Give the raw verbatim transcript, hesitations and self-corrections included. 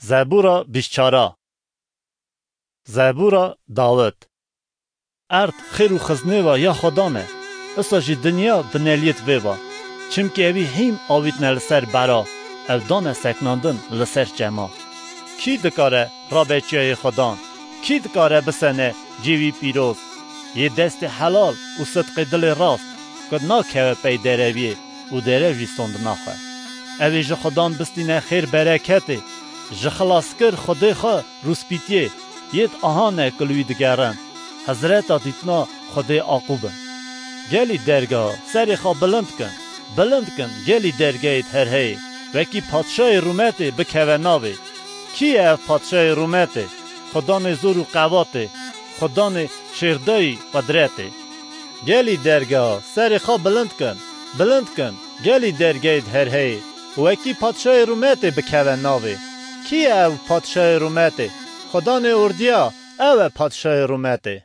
Zebûra bîst çara. Zebûra Dawid. Erd xêr û xiznêva ya Xwedan e. Isa jî dinya bineliyêt vê va. Çimkî ewî hîm avîtne li ser bera, ew dane seknandin li ser çema. Kî dikare rabe çiyayê Xwedan? Kî dikare bisene cêwî pîroz? Yê destê helal û sidqê dilê rast, ku nakeve pey dereviyê û derew jî sond naxwe. Ew ê ji Xudan bistîne xêr bereketê, ji xilaskir Xwedê xwe rûspîtiyê, yêd ahane ku li wî digerin, hezreta dîtina Xwedê Aqûb in. Gelî dergeha, serê xwe bilind kin, bilind kin, gelî dergehêd herheyê, wekî padşayê rûmetê bikeve navê. Kî ye ev padşayê rûmetê? Xudanê zor û qevatê, Xudanê şêrdayî qudretê. Gelî dergeha, serê xwe bilind kin, bilind kin, gelî dergehêd herheyê, wekî padşayê rûmetê bikeve navê. Kî ye ev padşayê rûmetê? Xudanê ordiya, ew e padşayê rûmetê.